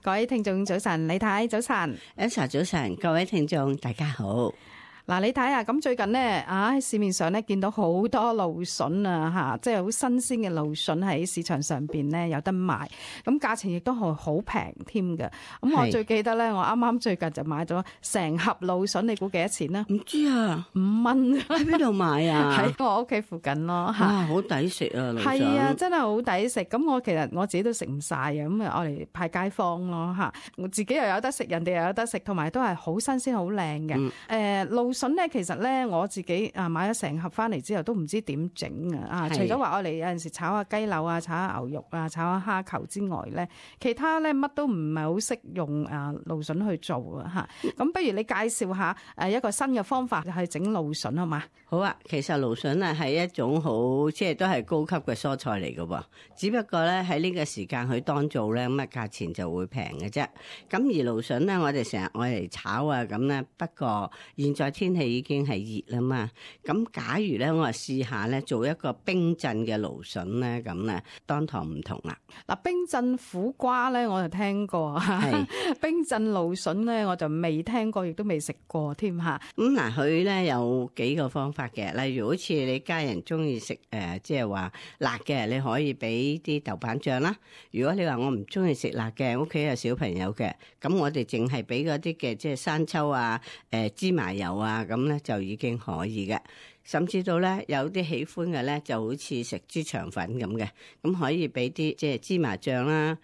各位聽眾早晨，李太早晨 Elsa 早晨，各位聽眾大家好。嗱，你睇下咁最近咧喺市面上咧見到好多蘆筍啊嚇，即係好新鮮嘅蘆筍喺市場上邊咧有得賣，咁價錢亦都係好平添嘅。咁我最記得咧，我啱啱最近就買咗成盒蘆筍，你估幾多錢啦？唔知啊，5蚊。喺邊度買啊？喺我屋企附近咯嚇。哇，好抵食啊！蘆筍係啊，真係好抵食。咁我其實我自己都食唔晒嘅，咁我嚟派街坊咯嚇。我自己又有得食，人哋又有得食，同埋都係好新鮮、好靚嘅。蘆筍咧，其實咧我自己買咗成盒翻嚟之後，都唔知點整啊！除咗話我哋有陣時炒下雞柳啊、炒下牛肉啊、炒下蝦球之外咧，其他咧乜都唔係好識用蘆筍去做啊嚇。咁不如你介紹下一個新嘅方法去整蘆筍好嘛？好啊，其實蘆筍啊係一種好即係都係高級嘅蔬菜嚟嘅喎，只不過咧喺呢個時間佢當造咧咁啊價錢就會平嘅啫。咁而蘆筍咧，我哋成日愛嚟炒啊咁咧，不過現在天氣已經係熱啦嘛。咁假如咧我試下咧做一個冰鎮嘅蘆筍咧，咁咧當堂唔同啦。嗱，冰鎮苦瓜咧我就聽過，冰鎮蘆筍咧我就未聽過，亦都未食過添嚇。咁嗱，佢咧有幾個方法嘅，例如好似你家人中意食即係話辣嘅，你可以俾啲豆瓣醬啦。如果你話我唔中意食辣嘅，屋企有小朋友嘅，咁我哋淨係俾嗰啲嘅即係生抽啊、芝麻油啊，咁咧就已經可以嘅。甚至到咧有啲喜歡嘅咧，就好似食豬腸粉咁嘅，咁可以俾啲即係芝麻醬啦，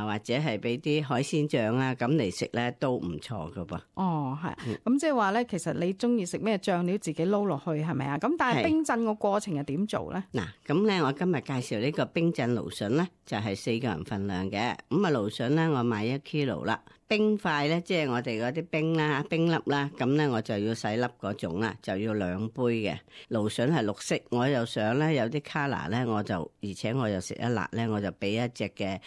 或者係俾啲海鮮醬啦，咁嚟食咧都唔錯噶噃。哦，係，咁即係話咧，其實你中意食咩醬料自己撈落去係咪啊？咁但係冰鎮個過程係點做咧？嗱，咁咧我今日介紹呢個冰鎮蘆筍咧，就係4個人份量嘅。咁啊蘆筍咧，我買1 kilo 啦。冰塊咧，即係我哋嗰啲冰啦、冰粒啦，咁咧我就要洗粒嗰種啦，就要2杯嘅。蘆筍係綠色，我又想咧有啲 color 咧，而且我又食得辣咧，我就俾一隻嘅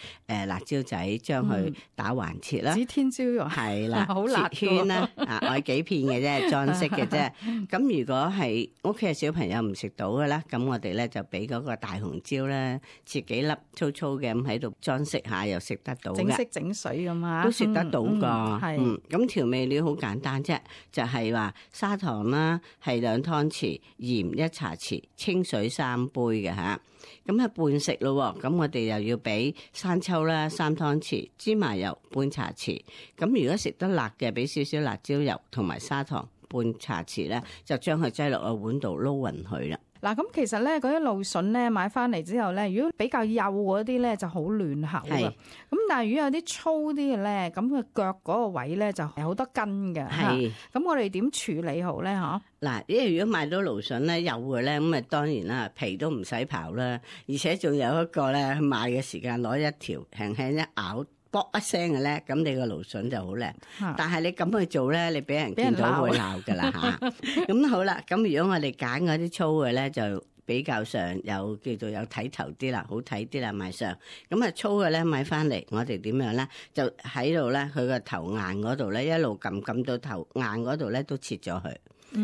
辣椒仔將佢打橫切啦。指天椒肉係啦，好辣切圈啦，我幾片嘅啫，裝飾嘅啫。咁如果係屋企嘅小朋友唔食到嘅啦，咁我哋咧就俾嗰個大紅椒咧，切幾粒粗粗嘅咁喺度裝飾下，又食得到嘅。整色整水咁啊，都食得到噶，咁調味料好簡單啫，就係話砂糖啦，係2湯匙，鹽1茶匙，清水3杯嘅吓，咁半食咯。咁我哋又要俾生抽啦3湯匙，芝麻油半茶匙，咁如果食得辣嘅，俾少少辣椒油同埋砂糖半茶匙咧，就將佢擠落個碗度撈勻佢啦。嗱，咁其實咧嗰啲蘆筍咧買翻嚟之後咧，如果比較幼嗰啲咧就好嫩口嘅，咁但係如果有啲粗啲嘅咧，咁佢腳嗰個位咧就係好多根嘅。係，咁我哋點處理好咧？嗬？嗱，因為如果買到蘆筍咧幼嘅咧，咁啊當然啦，皮都唔使刨啦，而且仲有一個咧買嘅時間攞一條輕輕一咬。卜一聲嘅咧，咁你個蘆筍就好靚。但係你咁去做咧，你俾人見到會鬧噶啦吓。咁好啦，咁如果我哋揀嗰啲粗嘅咧，就比較上有叫做有睇頭啲啦，好睇啲啦賣相。咁啊粗嘅咧買翻嚟，我哋點樣咧？就喺度咧，佢個頭硬嗰度咧，一路撳到頭硬嗰度咧，都切咗佢。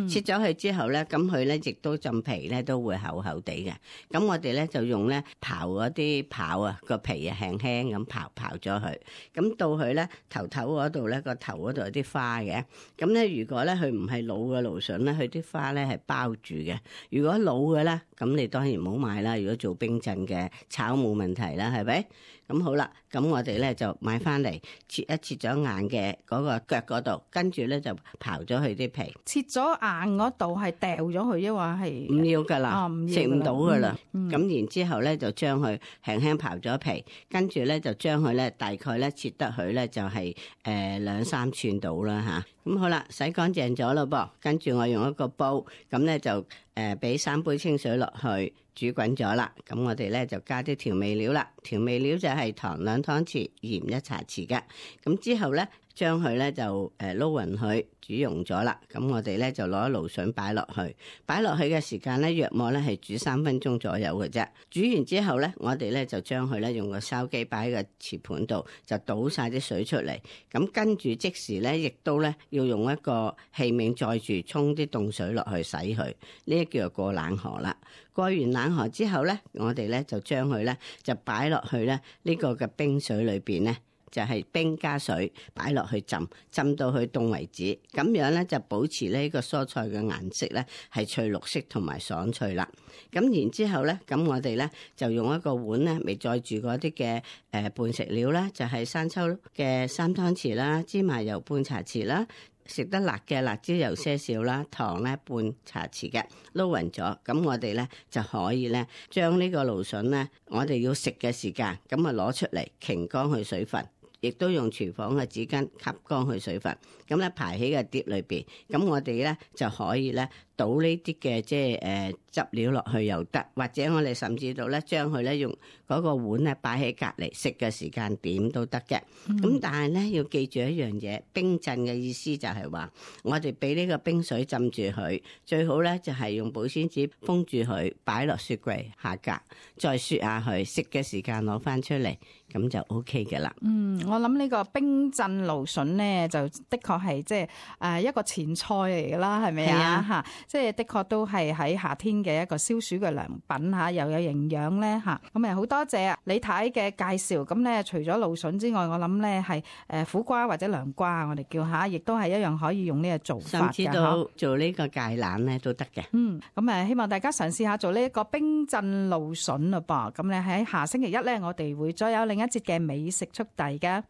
切咗佢之後咧，咁佢咧亦都浸皮咧都會厚厚地嘅。咁我哋咧就用咧刨嗰啲刨啊，個皮啊輕輕咁刨咗佢。咁到佢咧頭嗰度咧，個頭嗰度有啲花嘅。咁咧如果咧佢唔係老嘅蘆筍咧，佢啲花咧係包住嘅。如果老嘅咧，咁你當然唔好買啦。如果做冰鎮嘅炒冇問題啦，係咪？咁好啦，咁我哋咧就買翻嚟切咗硬嘅嗰個腳嗰度，跟住咧就刨咗佢啲皮。切咗硬嗰度係掉咗佢，抑或係唔要噶啦，食唔到噶啦。咁然之後咧就將佢輕輕刨咗皮，跟住咧就將佢咧大概咧切得佢咧就係2-3寸到啦吓。咁好啦，洗乾淨咗咯噃，跟住我用一個煲，咁咧就俾3杯清水落去。煮滾咗啦，咁我哋咧就加啲調味料啦。調味料就係糖2湯匙，鹽1茶匙嘅。咁之後咧，將佢咧就撈勻佢，煮溶咗啦。咁我哋咧就攞蘆筍擺落去，擺落去嘅時間咧，約莫咧係煮3分鐘左右嘅啫。煮完之後咧，我哋咧就將佢咧用個筲箕擺喺個瓷盤度，就倒晒啲水出嚟。咁跟住即時咧，亦都咧要用一個器皿載住沖啲凍水落去洗佢。呢一叫做過冷河啦。過完冷河之後咧，我哋咧就將佢咧就擺落去咧呢個嘅冰水裏邊咧，就係冰加水擺落去浸到佢凍為止，咁樣咧就保持呢個蔬菜嘅顏色咧係翠綠色同埋爽脆啦。咁然之後咧，咁我哋咧就用一個碗咧，咪載住嗰啲嘅伴食料啦，就係生抽嘅3湯匙啦，芝麻油半茶匙啦。食得辣嘅辣椒油些少啦，糖咧半茶匙嘅，撈勻咗，咁我哋咧就可以咧將呢個蘆筍咧，我哋要食嘅時間，咁啊攞出嚟擎乾佢水分，亦都用廚房嘅紙巾吸乾佢水分，咁咧排喺個碟裏邊，咁我哋咧就可以咧倒呢啲嘅即係汁料落去又得，或者我哋甚至到咧將佢咧用嗰個碗咧擺喺隔離，食嘅時間點都得嘅。咁但係咧要記住一樣嘢，冰鎮嘅意思就係話我哋俾呢個冰水浸住佢，最好咧就係用保鮮紙封住佢，擺落雪櫃下格，再雪下佢，食嘅時間攞翻出嚟，咁就 OK 嘅啦。我諗呢個冰鎮蘆筍咧，就的確係即係一個前菜嚟㗎啦，係咪啊？嚇，即係的確都係喺夏天嘅一個消暑嘅良品嚇，又有營養咧嚇。咁好多謝李太嘅介紹。咁咧除咗蘆筍之外，我諗咧係苦瓜或者涼瓜，我哋叫下，亦都係一樣可以用呢個做法嘅。甚至到做呢個芥蘭咧都得嘅。咁希望大家嘗試下做呢一個冰鎮蘆筍嘞噃。咁咧喺下星期一咧，我哋會再有另一節嘅美食速遞嘅。